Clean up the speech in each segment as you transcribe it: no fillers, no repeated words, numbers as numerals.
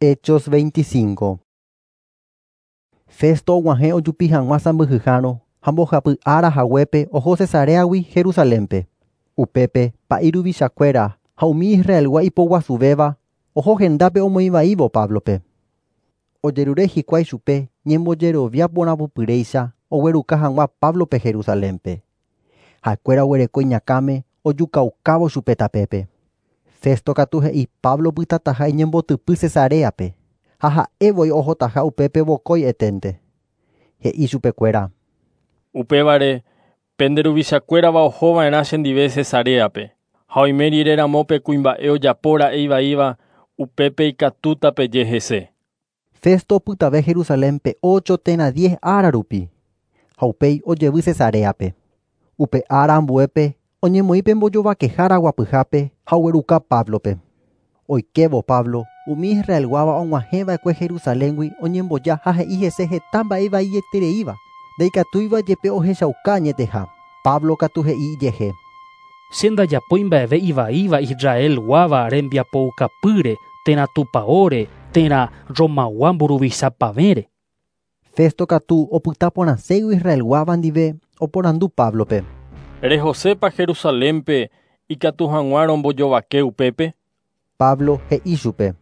Hechos 25. Festo og̃uahẽ ojupi hag̃ua sãmbyhyhárõ ha mbohapy ára haguépe oho Cesareagui Jerusalénpe. Upépe pa'i ruvichakuéra ha umi Israelgua ipoguasuvéva oho hendápe omoĩvaívo Páblope. Ojerure hikuái chupe ñembojerovia porãpypyréicha ogueruka hag̃ua Páblope Jerusalénpe. Ha'ekuéra oguereko iñakãme ojukaukávo chupe tapépe. Festo katu he'i Pablo opytataha iñembotypy Cesareape ha ha'evoi ohotaha upépe vokói eténte. He'i chupekuéra. Upévare, pende ruvichakuérava ohova'erã chendive Cesareape ha oime rire ramo pe kuimba'e ojapóra'e ivaíva upépe ikatúta peje hese. Festo opytave Jerusalénpe ocho térã diez ára rupi ha upéi ojevy Cesareape. Upe ára ambuépe oñemoĩ pe mbojovakehára guapyhápe ha ogueruka Páblope. Oikévo Pablo, umi Israelguáva og̃uahẽva'ekue Jerusaléngui oñemboja ha he'i hese heta mba'e vaietereíva, ndaikatúiva jepe ohechauka añeteha. Pablo katu he'i ijehe. Che ndajapói mba'eve ivaíva Israelguáva rembiapoukapýre térã tupãóre térã Romagua mburuvichapavẽre. Festo katu opyta porãségui Israelguáva ndive oporandu Páblope. Rehosépa Jerusalénpe ikatu hag̃ua rombojovake upépe? Pablo he'i chupe.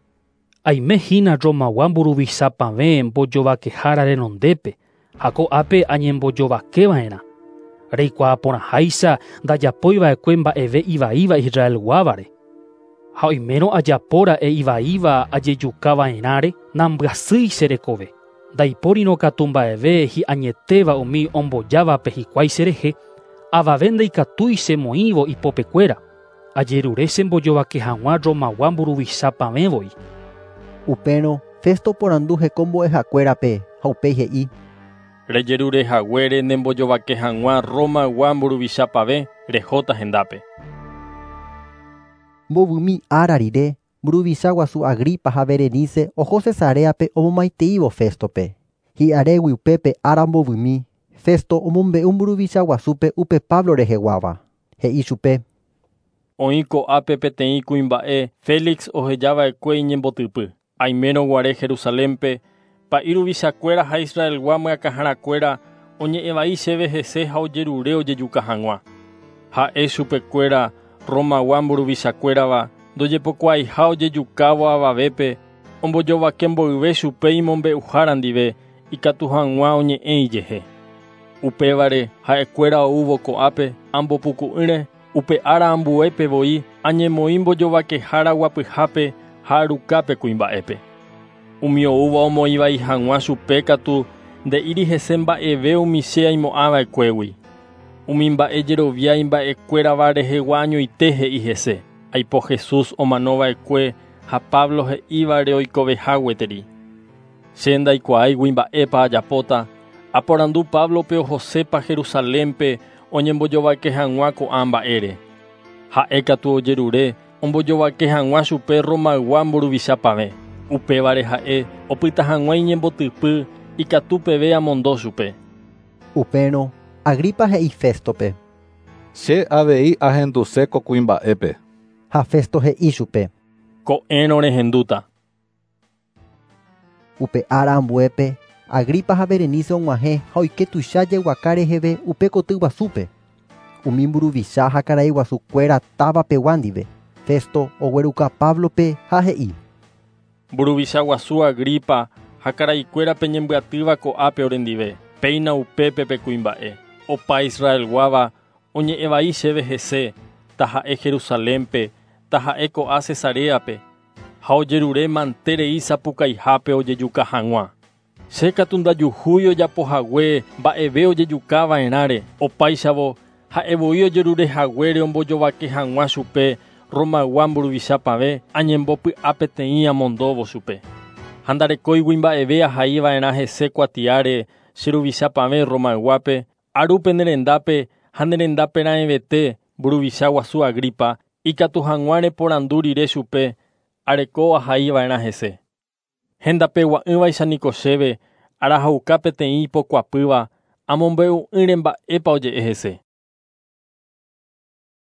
Aime hína Romagua mburuvichapavẽ mbojovakehára renondépe ha ko'ápe añembojovakeva'erã. Reikuaa porãháicha ndajapóiva'ekue mba'eve ivaíva Israelguávare. Ha oimérõ ajapóra'e ivaíva ajejukava'erãre nambyasýi che rekove. Ndaipórirõ katu mba'eve hi'añetéva umi ombojávape hikuái cherehe, avave ndaikatúi chemoĩvo ipopekuéra. Ajerure chembojovake hag̃ua Romagua mburuvichapavẽvoi. Upérõ Festo oporandu hekombo'ehakuérape ha upéi he'i. Rejerurehaguére nembojovake hag̃ua Romagua mburuvichapavẽ rehóta hendápe. Mbovymi ára rire, mburuvicha guasu Agripa ha Berenice oho Cesareape omomaiteívo Féstope. Hi'arégui upépe ára mbovymi, Festo omombe'u mburuvicha guasúpe upe Pablo reheguáva. He'i chupe. Oĩ ko'ápe peteĩ kuimba'e Félix ohejava'ekue iñembotypy. Aimérõ guare Jerusalénpe, pa'i ruvichakuéra ha Israelgua myakãharakuéra oñe'ẽvai chéve hese ha ojerure ojejuka hag̃ua. Ha'e chupekuéra Romagua mburuvichakuérava ndojepokuaaiha ojejukávo avavépe ombojovake mboyve chupe imombe'uhára ndive ikatu hag̃ua oñe'ẽ ijehe. Upévare ha'ekuéra oúvo ko'ápe ambopuku'ỹre upe ára ambuépe voi añemoĩ mbojovakehára guapyhápe ha arukápe kuimba'épe. Umi oúva omoĩvai hag̃ua chupe katu nde'íri hese mba'eve umi che aimo'ãva'ekuégui. Umi mba'e jerovia imba'ekuérava rehegua añoite he'i hese. Aipo Jesús omanova'ekue ha Pablo he'ívare oikoveha gueteri. Che ndaikuaáigui mba'épa ajapóta, aporandu Páblope ohosépa Jerusalénpe oñembojovake hag̃ua ko'ã mba'ére. Ha'e katu ojerure ombojovake hag̃ua chupe Romaygua mburuvichapavẽ. Upévare ha'e opyta hag̃ua iñembotypy ikatu peve amondo chupe. Upérõ Agripa he'i Féstope. Che avei ahenduse ko kuimba'épe. Ha Festo he'i chupe. Ko'ẽrõ rehendúta. Upe ára ambuépe, Agripa ha Berenice og̃uahẽ ha oike tuicha jeguaka reheve upe koty guasúpe. Umi mburuvicha ha karai guasukuéra távapegua ndive. Festo ogueruka Páblope ha he'i. Mburuvicha guasu Agripa ha karaikuéra peñembyatýva ko'ápe orendive. Péina upépe pe kuimba'e. Opa Israelguáva oñe'ẽvai chéve hese, taha'e Jerusalénpe, taha'e ko'ã Cesareape, ha ojerure manterei sapukaihápe ojejuka hag̃ua. Che katu ndajuhúi ojapohague mba'eve ojejukava'erãre opáichavo ha'evoi ojerurehaguére ombojovake hag̃ua chupe Romaygua mburuvichapavẽ añembopy'a peteĩ amondóvo chupe. Ha ndarekóigui mba'eve ahaiva'erã hese kuatiáre che ruvichapavẽ Romayguápe, aru pene rendápe ha ne rendápe raẽvete mburuvicha guasu Agripa ikatu hag̃ua reporandu rire chupe areko ahaiva'erã hese. Hendapegua'ỹvaicha niko chéve arahauka peteĩ ipokuapýva amombe'u'ỹre mba'épa oje'e hese.